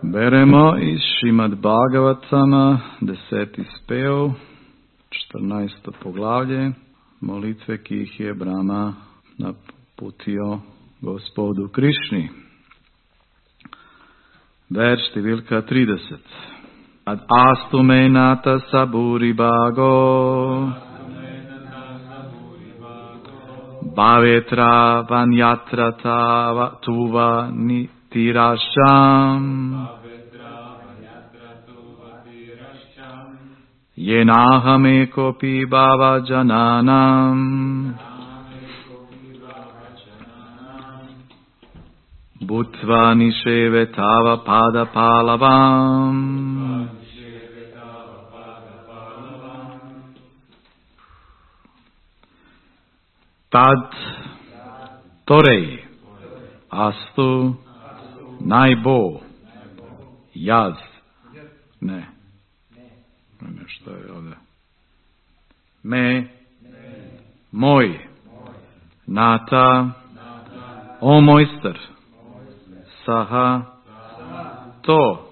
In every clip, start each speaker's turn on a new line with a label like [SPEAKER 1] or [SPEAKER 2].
[SPEAKER 1] Beremo iz Šrimad Bhagavatama, 10. spev, 14. poglavlje, molitve, ki jih je Brahma naputio Gospodu Krišni. Verš številka 30. Ad astu me nata saburi bhago, bhavetra vanyatra tuva nitirasham, yenahame kopi bhava jananam, bhutva nisheve tava pada palavam. Tad, torej, astu, naj bo, jaz, ne, što je ovdje, moj, nata, o mojster, saha, to,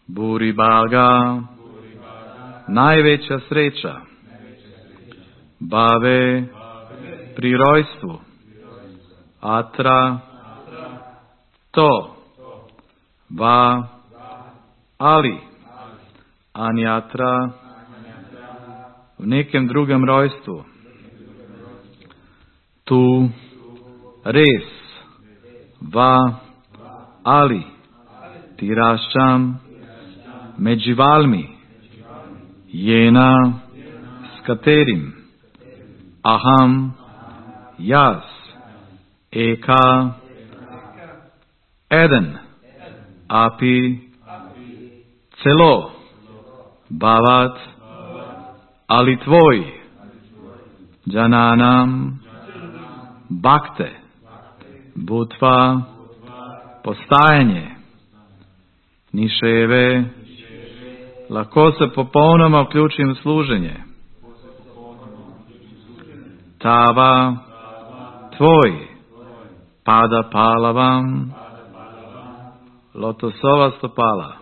[SPEAKER 1] buribaga, najveća sreća, bave, pri rojstvu, atra, to, va, ali, anjatra, v nekem drugem rojstvu, tu, res, va, ali, tiraščam, med živalmi, jena, s katerim, aham, jaz, eka, eden, api, celo, bhavat, ali tvoj, jananam, bhakte, bhutva, postajanje, niševe, lahko se popolnoma vključim v služenje, tava, tvoj, pada palavam, lotosova stopala.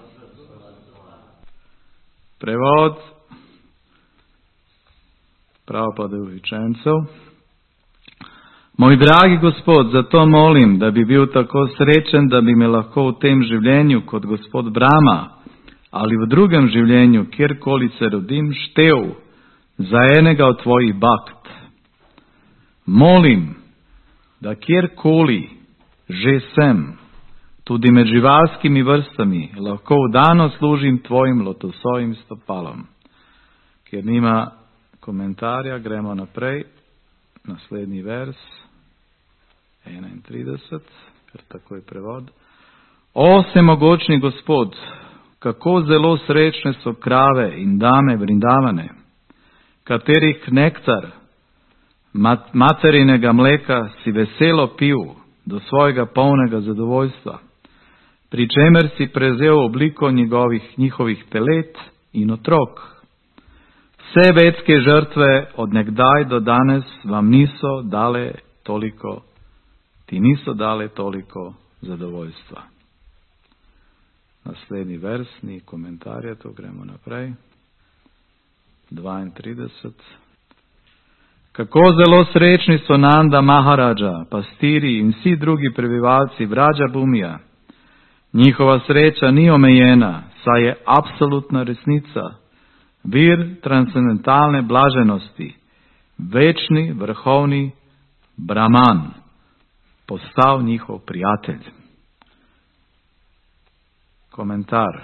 [SPEAKER 1] Prevod Prabhupadovih učencev. Moj dragi Gospod, zato molim, da bi bil tako srečen, da bi me lahko v tem življenju kot Gospod Brahma ali v drugem življenju, kjerkoli se rodim, štev za enega od tvojih bhakt. Molim, da kjerkoli že sem, tudi med živalskimi vrstami, lahko vdano služim tvojim lotosovim stopalom. Ker nima komentarja, gremo naprej. Naslednji vers, 31, ker tako je prevod. O vsemogočni Gospod, kako zelo srečne so krave in dame vrindavane, katerih nektar materinega mleka si veselo pil do svojega polnega zadovoljstva, pri čemer si prezel obliko njihovih telet in otrok. Vse vedske žrtve od nekdaj do danes vam niso dale toliko zadovoljstva. Naslednji vers, ni komentarja, to gremo naprej. 32. Kako zelo srečni so Nanda Maharaja, pastiri in vsi drugi prebivalci Vrađa Bumija. Njihova sreča ni omejena, saj je absolutna resnica, vir transcendentalne blaženosti, večni, vrhovni Brahman, postal njihov prijatelj. Komentar.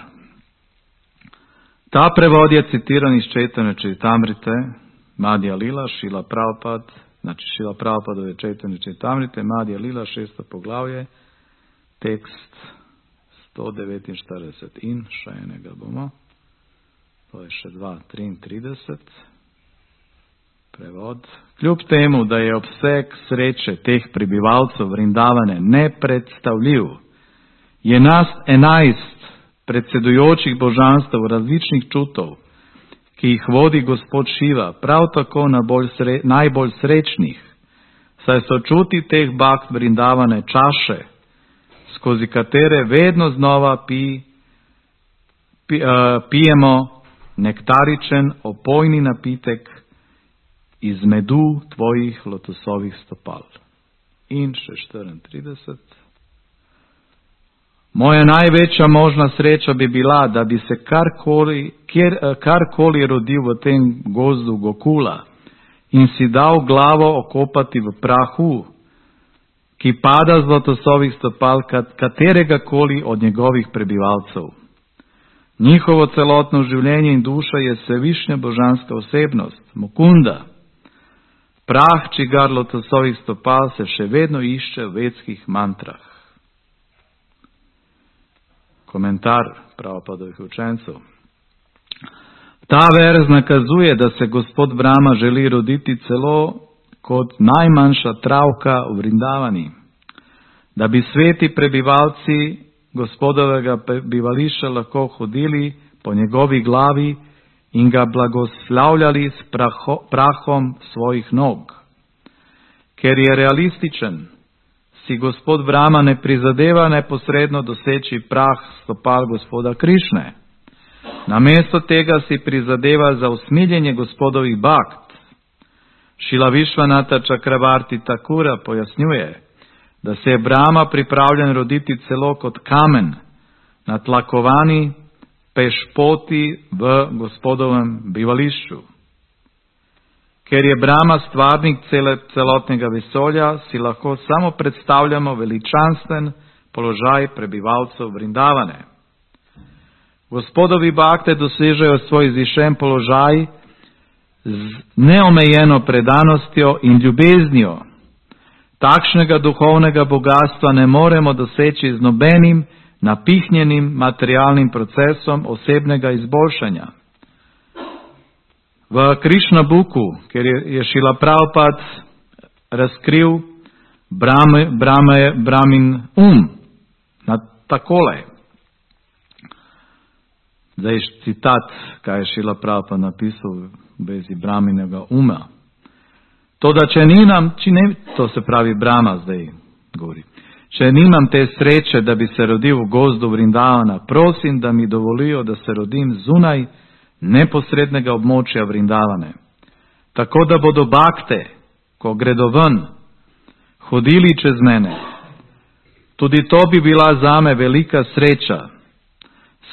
[SPEAKER 1] Ta prevod je citiran iz Chaitanya Charitamrite, Madhya Lila, Šrila Prabhupada, znači Šrila Prabhupadove Chaitanya Charitamrite, Madhya Lila, 6. poglavje, tekst 149 in še enega bomo, to je še 2:33, prevod. Kljub temu, da je obseg sreče teh prebivalcev Vrindavane nepredstavljiv, je nas 11 predsedujočih božanstv različnih čutov, ki jih vodi Gospod Šiva, prav tako najbolj srečnih, saj so čuti teh bhakt Vrindavane čaše, skozi katere vedno znova pijemo nektaričen, opojni napitek iz medu tvojih lotosovih stopal. In še 34. Moja največja možna sreča bi bila, da bi se karkoli rodil v tem gozdu Gokula in si dal glavo okopati v prahu, ki pada z lotosovih stopal katerega koli od njegovih prebivalcev. Njihovo celotno življenje in duša je svevišnja božanska osebnost, Mukunda. Prah, čigar lotosovih stopal se še vedno išče v vedskih mantrah. Komentar Prabhupadovih učencev. Ta verz nakazuje, da se gospod Brahma želi roditi celo kot najmanjša travka v Vrindavani, da bi sveti prebivalci gospodovega bivališča lahko hodili po njegovi glavi in ga blagoslavljali s prahom svojih nog. Ker je realističen, si gospod Brahma ne prizadeva neposredno doseči prah stopal gospoda Krišne. Namesto tega si prizadeva za usmiljenje gospodovih bakt. Šila Višvanata Čakravarti Takura pojasnjuje, da se je Brahma pripravljen roditi celo kot kamen, natlakovani pešpoti v gospodovem bivališču. Ker je Brahma stvarnik celotnega vesolja, si lahko samo predstavljamo veličanstven položaj prebivalcev Vrindavane. Gospodovi bakte dosežejo svoj izvišen položaj z neomejeno predanostjo in ljubeznijo. Takšnega duhovnega bogatstva ne moremo doseči z nobenim napihnjenim materialnim procesom osebnega izboljšanja. V Krišna Buku, kjer je Šrila Prabhupada razkril Brahmin takole. Zdaj citat, kaj je Šrila Prabhupada napisal v vezi Brahminega uma. To se pravi Brahma zdaj govori. Če nimam te sreče, da bi se rodil v gozdu Vrindavana, prosim, da mi dovolijo, da se rodim zunaj neposrednega območja Vrindavane. Tako da bodo bakte, ko gredo ven, hodili čez mene. Tudi to bi bila zame velika sreča.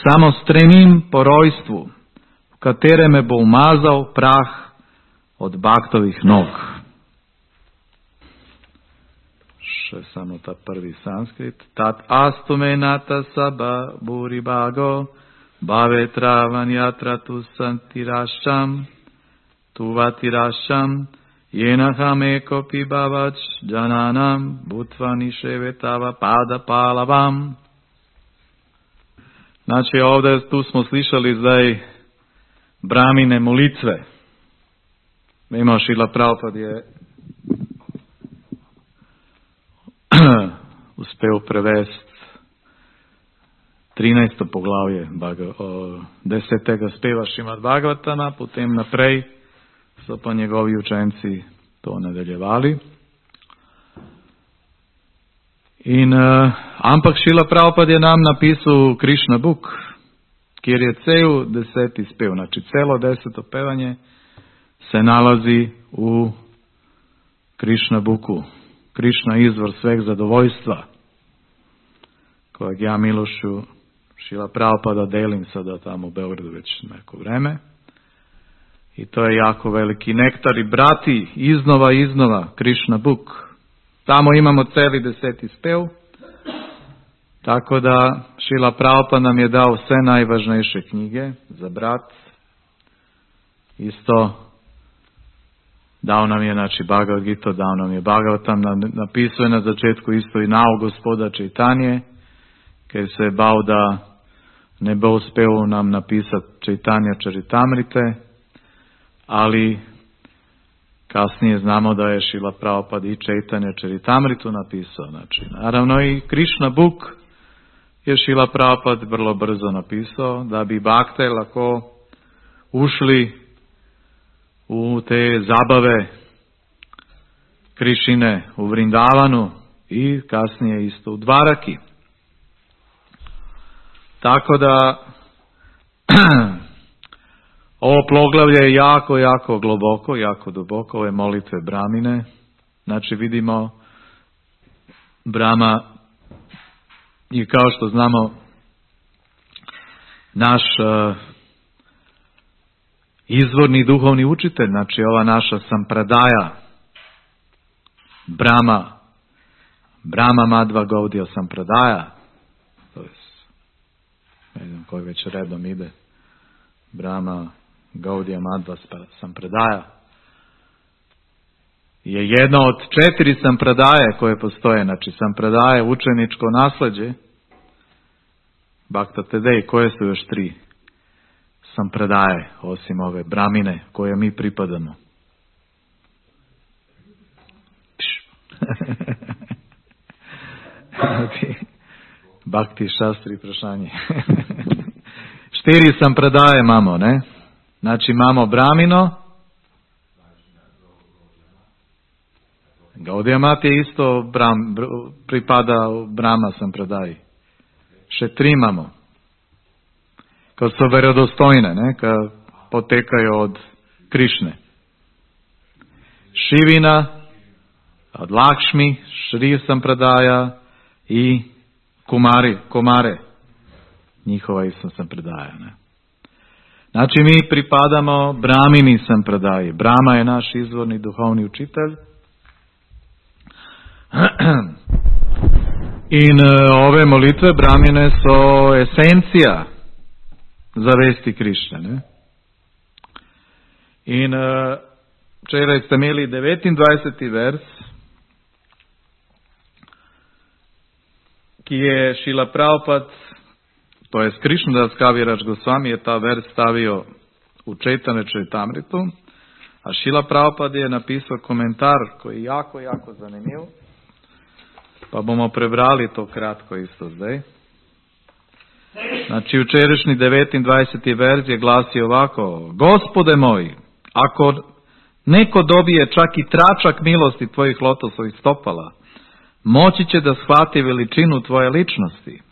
[SPEAKER 1] Samo stremim po rojstvu, v katerem me bo umazal prah od baktovih nog. Še samo ta prvi sanskrit. Tat astumenata saba buribago bhavetravan yatratu santirasham tuvatirašam jenaham ekopi bhavač jananam butvani ševetava pada palavam. Znači ovdje tu smo slišali zdaj Brahmine molitve. Ima Šrila Prabhupada je uspel prevesti 13. poglavje 10. speva Šrimad Bhagavatama, potem naprej so pa njegovi učenci to nadaljevali. Ampak Šrila Prabhupada je nam napisal Krishna Book, kjer je cel 10. spev, znači celo 10. pevanje se nalazi u Krishna Booku. Krišna izvor sveg zadovoljstva, kojeg ja milošću Šrila Prabhupada delim sada tamo u Beogradu već neko vreme. I to je jako veliki nektar i brati iznova Krishna Book. Tamo imamo celi 10. spev, tako da Šrila Prabhupada nam je dao sve najvažnejše knjige za brat. Isto dao nam je, znači, Bhagavad Gita, dao nam je Bhagavatam, napisao je na začetku isto i nao gospoda Čaitanje, ker se je bal da ne bo uspel nam napisati Čaitanja Čaritamrite, ali kasnije znamo da je Šrila Prabhupada i Čaitanja Čaritamritu napisao. Znači, naravno i Krishna Book je Šrila Prabhupada vrlo brzo napisao, da bi bakte lako ušli u te zabave Krišine u Vrindavanu i kasnije isto u Dvaraki. Tako da ovo poglavlje je jako, jako globoko, jako duboko, ove molitve Bramine. Znači vidimo Brama i kao što znamo naš izvorni duhovni učitelj, znači ova naša sampradaja, Brama Madhva Gaudiya sampradaja, to je, ne znam koji već redom ide, Brama Gaudiya Madhva sampradaja, je jedna od 4 sampradaje koje postoje, znači sampradaje učeničko nasljeđe, Bhakta Tedej, koje su još 3 sampradaje, osim ove Bramine koje mi pripadamo. Bhakti Šastri prašanje. 4 sampradaje imamo, ne? Znači imamo Bramino, Gaudiya Mat je isto pripada Brahma sampradaji. Še 3 imamo. Kad su vjerodostojne, ne? Kad potekaju od Krišne. Šivina, od Lakšmi, Šri sampradaja i Kumare. Njihova isto sampradaja, ne? Znači mi pripadamo Brahmini sampradaji. Brahma je naš izvorni duhovni učitelj. In ove molitve Brahmine su esencija za vesti Krišne, ne? In včeraj ste imeli 29. vers, ki je Šila Prabhupada, to je Krišnadas Kavirač Gosvami je ta vers stavio u Čejtane Čajtamritu, a Šila Prabhupada je napisao komentar koji je jako, jako zanimljiv, pa bomo prebrali to kratko isto zdaj. Znači včerajšnji 29. vers je glasio ovako: Gospode moj, ako neko dobije čak i tračak milosti tvojih lotosovih stopala, moći će da shvati veličinu tvoje ličnosti.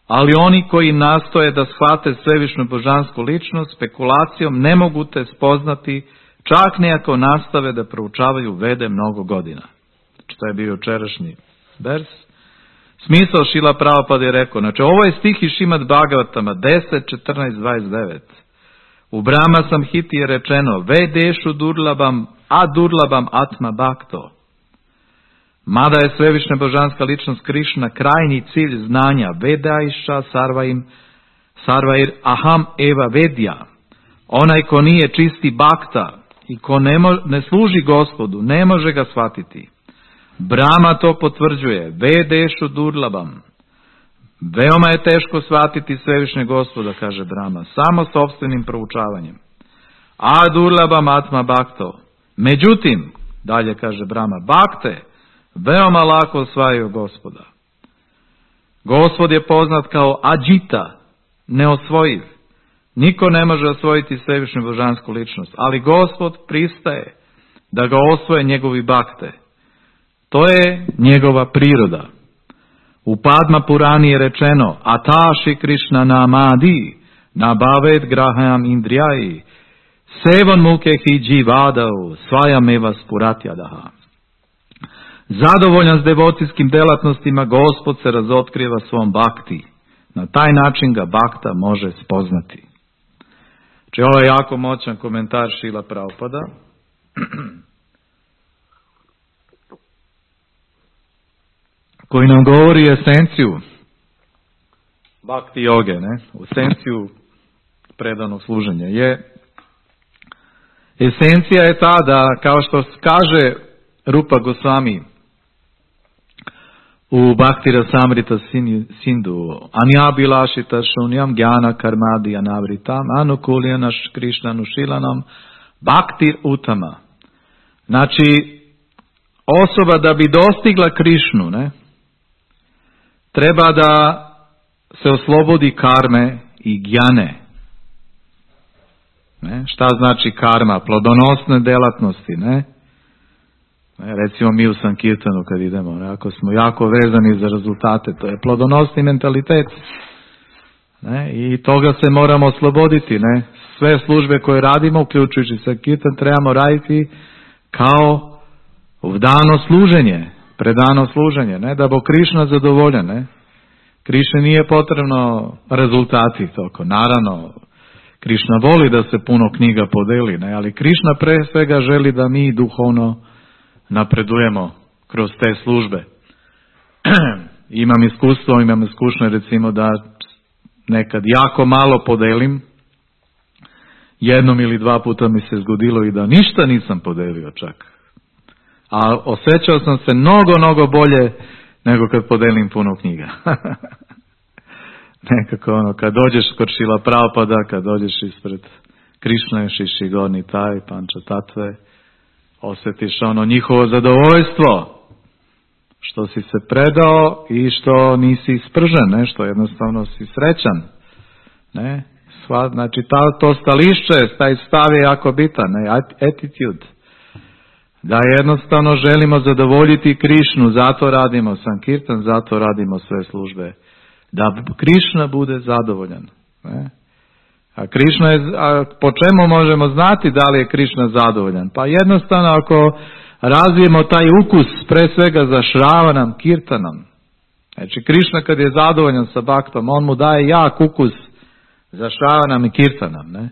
[SPEAKER 1] Ali oni koji nastoje da shvate svevišnju božansku ličnost spekulacijom ne mogu te spoznati, čak ne ako nastave da proučavaju Vede mnogo godina. Znači to je bio včerašnji vers. Smisao Šila Prabhupada je rekao, znači ovo je stih iz Šrimad Bhagavatama 10, 14, 29. U Brahma Samhiti je rečeno Vedešu durlabam, a durlabam atma bhakto. Mada je svevišnja božanska ličnost Krišna krajnji cilj znanja Vedaiša sarvair aham eva vedja. Onaj ko nije čisti bhakta i ko ne služi Gospodu, ne može ga shvatiti. Brahma to potvrđuje. Vedešu durlabam. Veoma je teško shvatiti svevišnje Gospoda, kaže Brahma, samo sopstvenim proučavanjem. A durlabam atma bhakto. Međutim, dalje kaže Brahma, bhakte veoma lako osvajaju Gospoda. Gospod je poznat kao Adžita, neosvojiv. Niko ne može osvojiti svevišnju božansku ličnost, ali Gospod pristaje da ga osvoje njegovi bhakte. To je njegova priroda. U Padma Purani je rečeno Ataši Krišna namadi nabaved graham indrijaji sevan mukehi dživadau svajam eva spuratjadaha. Zadovoljan s devocijskim delatnostima, Gospod se razotkriva svom bhakti. Na taj način ga bhakta može spoznati. Znači ovo je jako moćan komentar Šila Prabhupada. Koji nam govori esenciju bhakti joge, ne? Esenciju predanog služenja. Esencija je ta da, kao što kaže Rupa Gosvami u Bhakti Rasamrita Sindhu, Anyabilašita šunjam gyana karmadi anavritam anukuljanaš krišnanušilanam bhaktir utama. Znači, osoba da bi dostigla Krišnu, ne, treba da se oslobodi karme i gjane. Ne? Šta znači karma? Plodonosne delatnosti, ne? Recimo mi u Sankirtanu kad idemo, ne? Ako smo jako vezani za rezultate, to je plodonosni mentalitet. Ne? I toga se moramo osloboditi. Ne? Sve službe koje radimo, uključujući Sankirtan, trebamo raditi kao vdano služenje, predano služenje, ne? Da bo Krišna zadovoljan. Ne? Krišni nije potrebno rezultati toko. Naravno, Krišna voli da se puno knjiga podeli, ne? Ali Krišna pre svega želi da mi duhovno napredujemo kroz te službe. Imam iskušnje recimo da nekad jako malo podelim, jednom ili dva puta mi se zgodilo i da ništa nisam podelio čak. A osjećao sam se mnogo bolje nego kad podelim puno knjiga. Nekako kad dođeš kod Šrila Prabhupada, kad dođeš ispred Krišne, Šiši Gorni Taj, Panča Tatve, osjetiš njihovo zadovoljstvo što si se predao i što nisi ispržen, ne? Što jednostavno si srećan. Ne? Znači to stališće, taj stav je jako bitan, ne? Attitude. Da jednostavno želimo zadovoljiti Krišnu, zato radimo Sankirtan, zato radimo sve službe. Da Krišna bude zadovoljan. Ne? A Krišna po čemu možemo znati da li je Krišna zadovoljan? Pa jednostavno ako razvijemo taj ukus pre svega za Šravanam, Kirtanom. Znači Krišna kad je zadovoljan sa Bhaktom, on mu daje jak ukus za Šravanam i Kirtanom. Ne?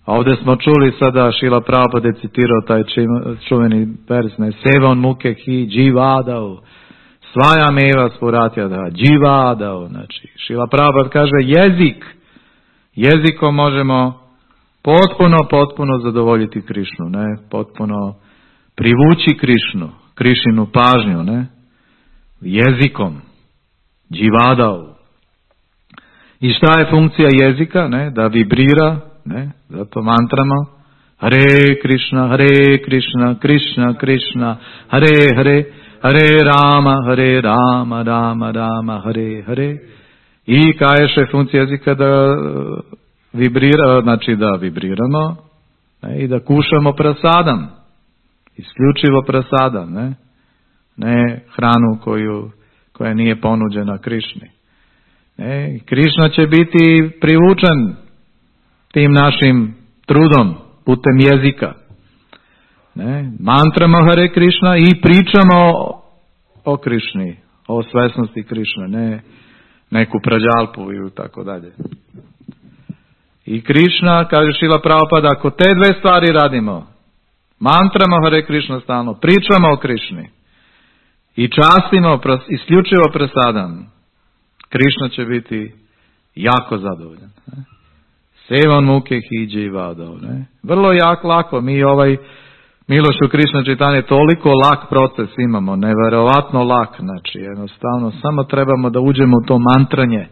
[SPEAKER 1] A ovdje smo čuli sada, Šrila Prabhupada je citirao taj čuveni vers, ne? Sevan muke hi dživadao, svaja meva sporatja da dživadao. Znači Šrila Prabhupada kaže jezikom možemo potpuno zadovoljiti Krišnu, ne? Potpuno privući Krišinu pažnju, ne? Jezikom, dživadao. I šta je funkcija jezika? Ne? Da vibrira, ne? Zato mantramo Hare Krishna, Krishna Krishna, Hare Hare, Hare Rama, Rama, Hare. I kaješe funkcija jezika da vibrira, znači da vibriramo, ne? I da kušamo prasadam. Isključivo prasadam, ne hranu koja nije ponuđena Krišni. Krišna će biti privučen tim našim trudom putem jezika. Mantramo Hare Krišna i pričamo o Krišni, o svesnosti Krišne, ne neku prađalpu i tako dalje. I Krišna, kaže Šrila Prabhupada, ako te dve stvari radimo, mantramo Hare Krišna stalno, pričamo o Krišni i častimo isključivo prasadam, Krišna će biti jako zadovoljan. Sevan muke hi dživadao. Vrlo lako. Mi Milošu Krišna čitanje toliko lak proces imamo, neverovatno lak. Znači jednostavno samo trebamo da uđemo u to mantranje.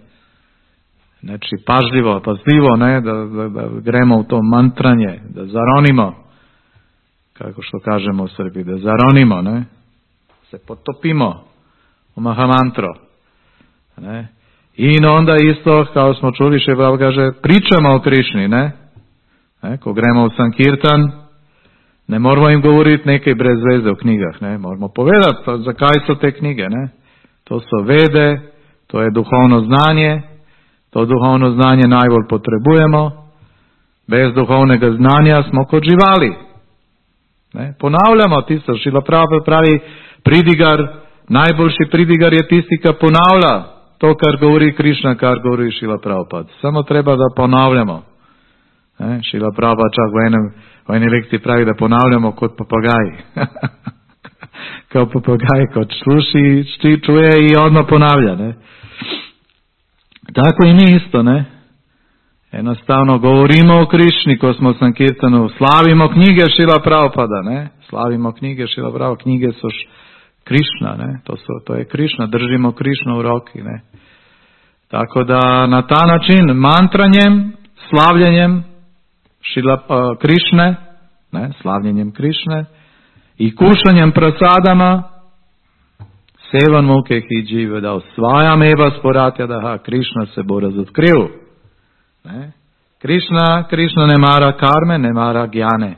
[SPEAKER 1] Znači pažljivo, ne, da gremo u to mantranje, da zaronimo, kako što kažemo u Srbiji, da zaronimo, ne, se potopimo u Mahamantro. Ne. I onda isto, kao smo čuli, Šebav kaže, pričamo o Krišni, ne? Ko gremo u Sankirtan, ne moramo im govoriti neke brez veze o knjigah, ne? Moramo povedati za kaj su te knjige, ne? To su vede, to je duhovno znanje, to duhovno znanje najbolj potrebujemo, bez duhovnega znanja smo kod živali. Ne? Ponavljamo, tisto, Šrila Prabhupada pravi pridigar, najboljši pridigar je tisti, ki ponavlja to, kar govori Krišna, kar govori Šrila Prabhupada. Samo treba da ponavljamo. Šrila Prabhupada čak v eni lekciji pravi, da ponavljamo kot papagaji. Kao papagaj, kot sluši, čuje i odmah ponavlja. Ne? Tako i mi isto, ne? Jednostavno govorimo o Krišni, ko smo u Sankirtanu, slavimo knjige Šrila Prabhupada, ne? Slavimo knjige Šrila Prabhupada, knjige su Krišna, ne? To je Krišna, držimo Krišnu u roki, ne? Tako da na ta način mantranjem, slavljenjem Krišne, ne? Slavljenjem Krišne i kušanjem prasadama, sevan muke hi džive da osvajam eva sporatja da Krišna se bo razotkril. Ne? Krišna ne mara karme, ne mara gjane.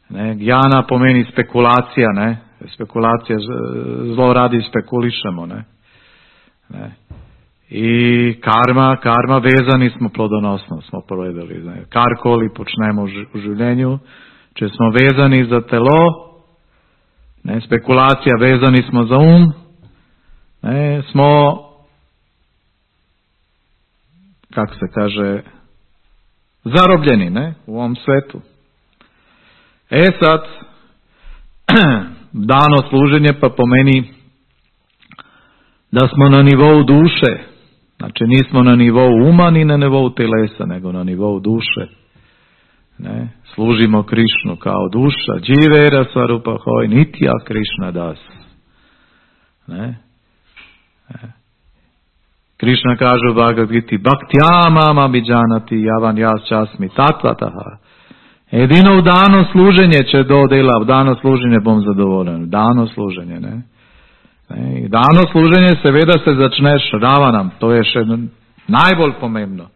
[SPEAKER 1] Ne? Gjana pomeni spekulacija, ne? Spekulacija, zlo radi spekulišemo. Ne? I karma, vezani smo plodonosno, smo povedali. Karkoli počnemo u življenju, če smo vezani za telo, ne, spekulacija, vezani smo za ne, smo, kako se kaže, zarobljeni, ne, u ovom svetu. Sad, dano služenje pa pomeni da smo na nivou duše. Znači nismo na nivou uma ni na nivou telesa, nego na nivou duše. Ne? Služimo Krišnu kao duša. Dživera svarupa hoj nitya Krišna das. Ne? Krišna kaže u Bhagavad Giti Bhaktyamam abhijanati javan jas časmi tatvataha. Jedino u dano služenje će do dela, u dano služenje bom zadovoljen. Dano služenje, ne? I dano služenje seveda se začneš ravanam, to je še najbolj pomembno.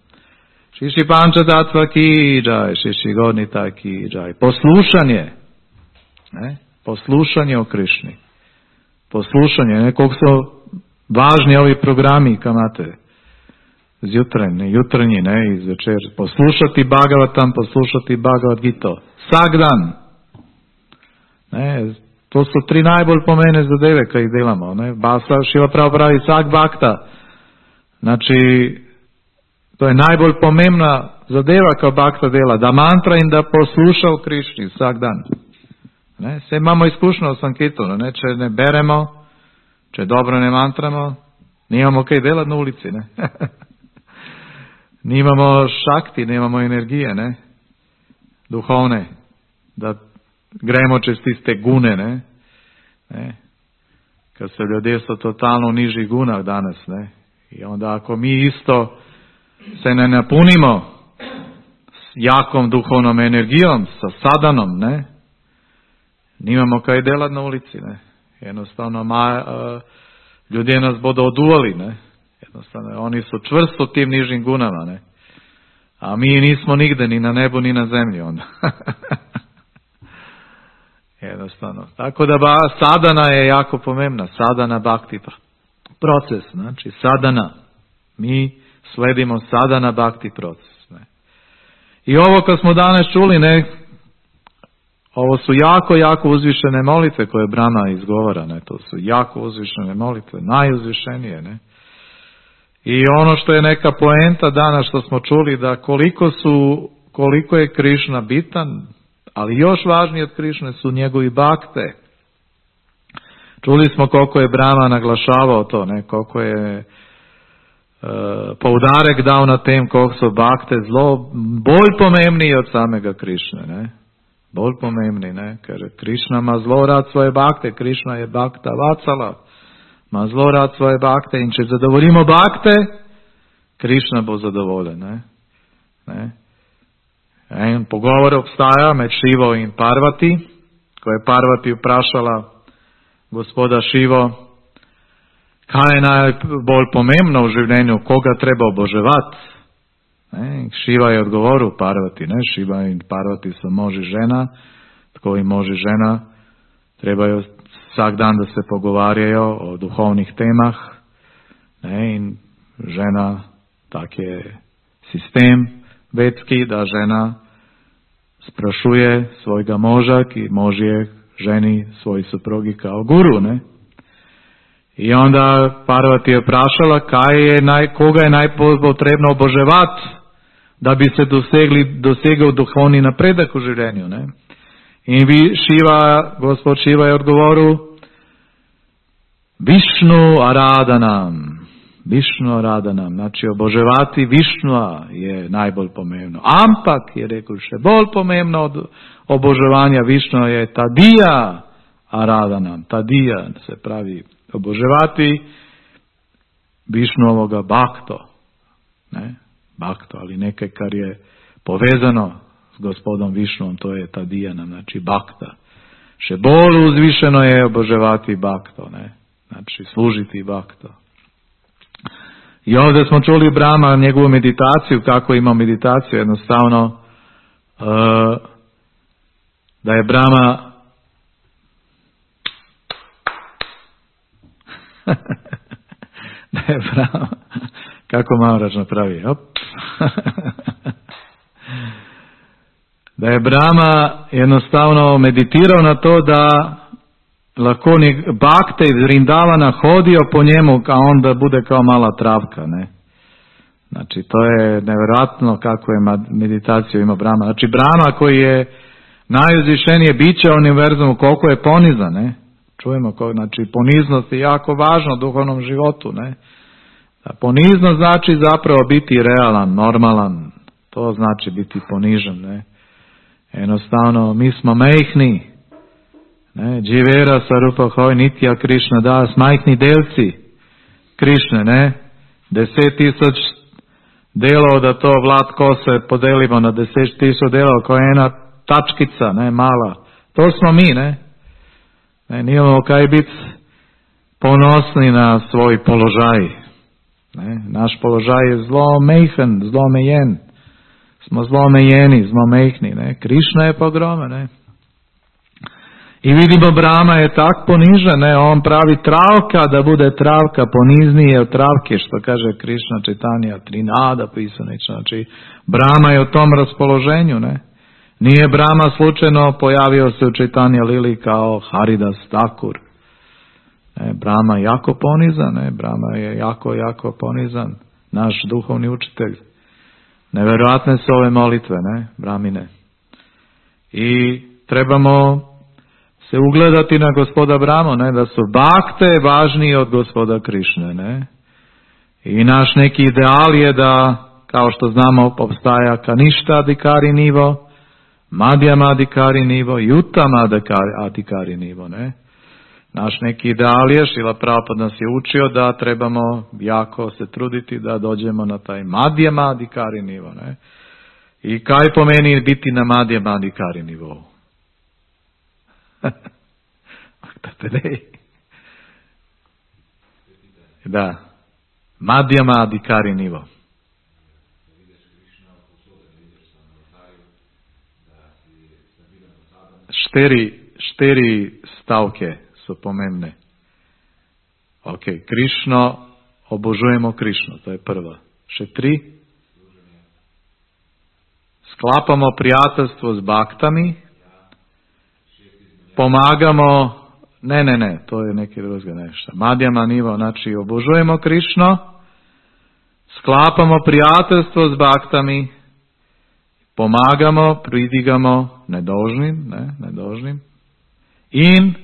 [SPEAKER 1] Šiši pančatatva ki džaj, šiši gornita ki džaj. Poslušanje, ne? Poslušanje o Krišni. Poslušanje, ne? Koliko su važni ovi programi kamate. Jutrnji, ne? Iz večer. Poslušati Bhagavatam, poslušati Bhagavad Gita. Vsak dan. Ne? To so 3 najbolj pomembne zadeve, kaj jih delamo. Ne? Šiva pravi vsak bhakta. Znači, to je najbolj pomembna zadeva, ko bhakta dela. Da mantra in da posluša v Krišni vsak dan. Ne? Vse imamo izkušnjo v Sankirtanu. Ne? Če ne beremo, če dobro ne mantramo, nimamo kaj delati na ulici. Ne? Nimamo šakti, nemamo energije, ne? Duhovne, da gremo čez tiste gune, ne? Kad se ljudje so totalno v nižjih gunah danes, ne? I onda ako mi isto se ne napunimo s jakom duhovnom energijom, sa sadanom, ne? Nimamo kaj delati na ulici, ne? Jednostavno ljudje nas bodo oduvali, ne? Jednostavno, oni su čvrsto u tim nižim gunama, ne? A mi nismo nigde, ni na nebu, ni na zemlji onda. Jednostavno. Tako da sadana je jako pomembna. Sadana bhakti proces. Znači sadana. Mi sledimo sadana bhakti proces. Ne? I ovo kad smo danas čuli, ne? Ovo su jako uzvišene molitve koje Brahma izgovara. Ne? To su jako uzvišene molitve. Najuzvišenije. Ne? I ono što je neka poenta danas što smo čuli, da koliko je Krišna bitan, ali još važnije od Krišne su njegovi bakte. Čuli smo koliko je Brahma naglašavao to, ne? Koliko je poudarek dao na tem, koliko su bakte bolj pomembniji od samega Krišne. Ne? Bolj pomembni, ne? Ker Krišna ima zelo rad svoje bakte, Krišna je bakta Vatsala. Ma zelo rad svoje bakte in če zadovoljimo bakte, Krišna bo zadovoljen. Ne? En pogovor obstaja med Šivo in Parvati, ko je Parvati vprašala gospoda Šivo, kaj je najbolj pomembno v življenju, koga treba oboževati. Šiva je odgovoril Parvati, ne? Šiva in Parvati so mož in žena, tako in mož in žena trebajo vsak dan da se pogovarjajo o duhovnih temah, ne? In žena, tak je sistem vedski, da žena sprašuje svojega moža, ki mož je ženi svoji suprugi kao guru, ne? I onda Parvati je vprašala koga je najpotrebno oboževati, da bi se dosegel duhovni napredek v življenju, ne? In gospod Šiva je odgovoril, Višnu Aradanam. Višnu Aradanam. Znači oboževati Višnua je najbolj pomembno. Ampak je rekel, še bolj pomembno od oboževanja Višnua je Tadija Aradanam. Tadija se pravi oboževati Višnuovoga bakto. Ne? Bakto, ali nekaj kar je povezano s gospodom Višnuom, to je Tadijanam, znači bakta. Še bolj uzvišeno je oboževati bakto, ne? Znači služiti bakto. I ovdje smo čuli Brahma, njegovu meditaciju, kako ima meditaciju, jednostavno da je Brahma Kako Maharaj napravi? Op. Da je Brahma jednostavno meditirao na to da lahko Bhakte iz Vrindavana hodio po njemu, a onda bude kao mala travka, ne? Znači, to je nevjerojatno kako je meditaciju ima Brahma. Znači, Brahma koji je najuzvišenije biće u univerzumu, koliko je ponizan, ne? Čujemo, znači, poniznost je jako važna u duhovnom životu, ne? Poniznost znači zapravo biti realan, normalan. To znači biti ponižen, ne? Jednostavno, mi smo mehni, ne? Dživera Sarupa Hoj Nitya Krišna Das, majhni delci Krišne, ne? 10,000 delov da to Vlad kose podelimo na 10,000 delov koja je jedna tačkica, ne? Mala. To smo mi, ne? Nijemo kaj biti ponosni na svoj položaj. Ne? Naš položaj je zlo mehen, zlo mejen. Smo zlo mejeni, zlo mehni. Ne? Krišna je pogrome. Ne? I vidimo Brahma je tak ponižen. Ne? On pravi travka da bude travka poniznije od travke, što kaže Krišna Čitanja Trinada pisanično. Znači Brahma je u tom raspoloženju. Ne? Nije Brahma slučajno pojavio se u Čitanja Lili kao Haridas Thakur. Brahma je jako ponizan, Brahma je jako ponizan, naš duhovni učitelj. Nevjerojatne su ove molitve, Brahmine. I trebamo se ugledati na gospoda Brahmu, da su Bhakte važniji od gospoda Krišne. I naš neki ideal je da, kao što znamo, obstaja Kaništa Adhikari nivo, Madhyama Adhikari nivo i Uttama Adhikari nivo, Naš neki ideal je, Šrila Prabhupada nas je učio da trebamo jako se truditi da dođemo na taj Madhyama Adhikari nivo, I kaj pomeni biti na Madhyama Adhikari nivou? Da. Madhyama Adhikari nivo. Štiri stavke su pomembne. Ok, Krišno, obožujemo Krišno, to je prva. Še 3. Sklapamo prijateljstvo s baktami. Pomagamo, ne, to je neki drugi nešto. Madhyama nivo, znači obožujemo Krišno, sklapamo prijateljstvo s baktami, pomagamo, pridigamo nedožnim in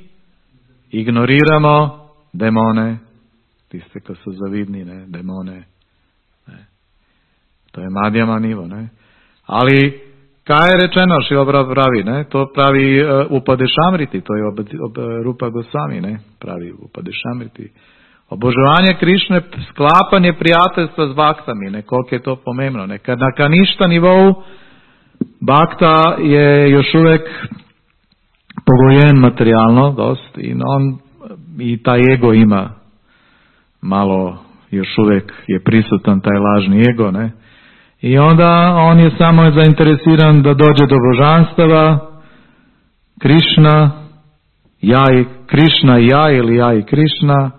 [SPEAKER 1] ignoriramo demone, tiste ko su zavidni, demone. To je Madhyama nivo, Ali, kaj je rečeno, Šrila pravi, to pravi Upadešamriti, to je Rupa Gosvami, pravi Upadešamriti. Obožavanje Krišne, sklapanje prijateljstva s baktami, koliko je to pomembno. Na Kaništa nivou bakta je još uvijek pogojen materijalno dost i taj ego ima malo, još uvijek je prisutan taj lažni ego, I onda on je samo zainteresiran da dođe do božanstava, Krišna, Krišna i ja ili ja i Krišna,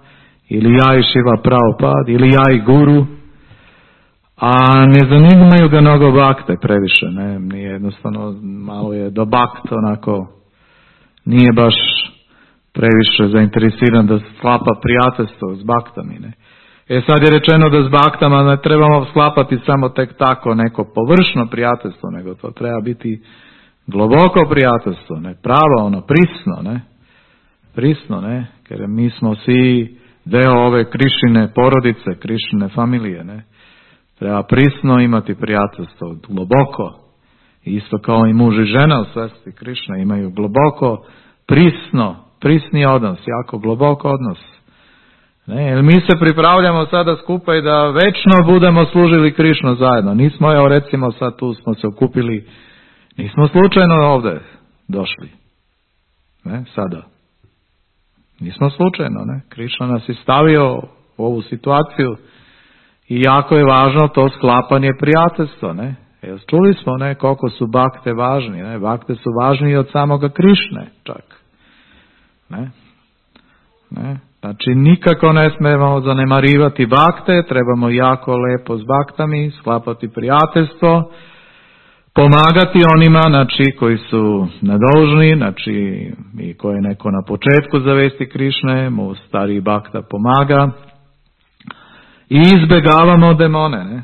[SPEAKER 1] ili ja i Šrila Prabhupada, ili ja i Guru, a ne zanimaju ga mnogo bakte previše, nije jednostavno, malo je do bakta onako, nije baš previše zainteresiran da sklapa prijateljstvo s baktami, sad je rečeno da s baktama ne trebamo sklapati samo tek tako neko površno prijateljstvo, nego to treba biti globoko prijateljstvo, pravo, prisno, jer mi smo svi deo ove Krišine porodice, Krišine familije, Treba prisno imati prijateljstvo, globoko. Isto kao i muž i žena u svesti Krišne imaju globoko, prisni odnos, jako globoko odnos. Jer mi se pripravljamo sada skupa i da večno budemo služili Krišnu zajedno. Nismo, recimo sad tu smo se okupili, nismo slučajno ovdje došli. Sada. Nismo slučajno, Krišna nas je stavio u ovu situaciju i jako je važno to sklapanje prijateljstva, Čuli smo, koliko su bakte važni, Bakte su važniji od samoga Krišne, čak. Znači nikako ne smemo zanemarivati bakte, trebamo jako lepo s baktami sklapati prijateljstvo, pomagati onima, znači, koji su nedužni, znači, i koje neko na početku zavesti Krišne, mu stariji bakta pomaga. I izbjegavamo demone, ne?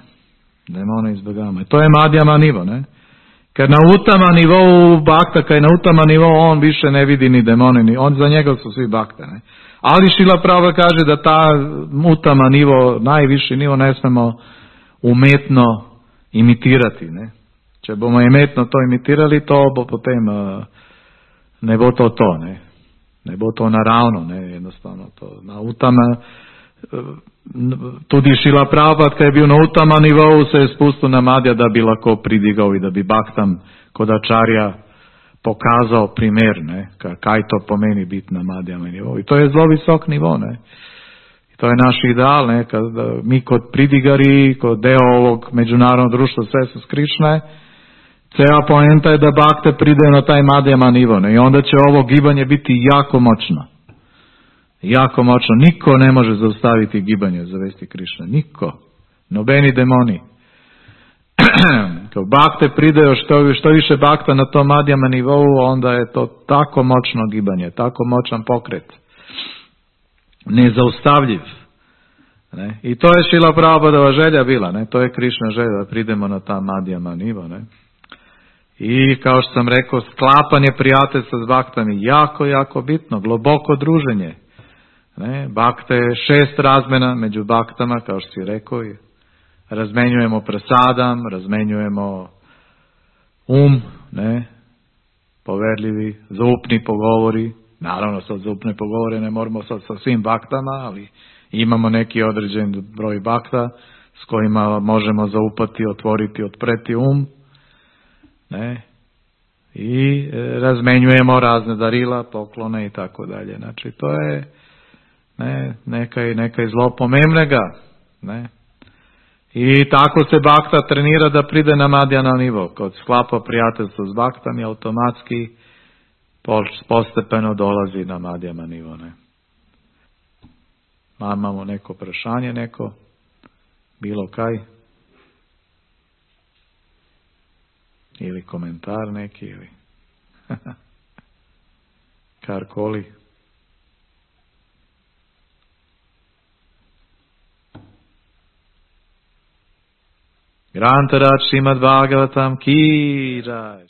[SPEAKER 1] Demone izbjegavamo. To je madjama nivo, ne? Kad na utama nivou bakta, kad je na utama nivou, on više ne vidi ni demone, on za njega su svi bakte, ne? Ali Šila Prabhupada kaže da ta utama nivo, najviši nivo, ne smemo umetno imitirati, ne? Če bomo umetno to imitirali, to bo potem ne bo to, ne? Ne bo to naravno, ne? Jednostavno to. Na utama, tudi Šila Prabhupada, kad je bil na utama nivou, se je spustil na Madja, da bi lahko pridigal i da bi baktam kod Ačarja pokazao primjer, ne, kaj to pomeni biti na Madjama nivou. I to je zelo visok nivo, ne. I to je naš ideal, ne, kad mi kod pridigari, kod deo ovog međunarodnog društva Sve su Krišne, cela poenta je da bakte pride na taj Madjama nivo, ne, i onda će ovo gibanje biti jako moćno. Jako moćno. Niko ne može zaustaviti gibanje zavesti Krišne. Niko. Nobeni demoni. Kao bakte pridaju, što više bakta na tom Madjama nivou, onda je to tako moćno gibanje, tako moćan pokret. Nezaustavljiv. Ne? I to je Šila Prabhupádova želja bila, ne? To je Krišna želja, da pridemo na ta Madjama nivo. Ne? I kao što sam rekao, sklapanje prijateljstva s baktami, jako, jako bitno, globoko druženje. Ne? Bakta je 6 razmena među baktama, kao što si rekao, i razmenjujemo prasadam, razmenjujemo ne, poverljivi, zaupni pogovori. Naravno, sad zaupne pogovore ne moramo sad sa svim baktama, ali imamo neki određen broj bakta s kojima možemo zaupati, otvoriti, otpreti ne, i razmenjujemo razne darila, poklone i tako dalje. Znači, to je nekaj zelo pomembnega, ne. I tako se bakta trenira da pride na Madjana nivo. Kod sklapa prijateljstvo s baktami, automatski postepeno dolazi na Madjama nivo. Ne? Imamo neko vprašanje, neko? Bilo kaj? Ili komentar neki? Ili karkoli? Grantaraj Srimad Bhagavatam ki jai.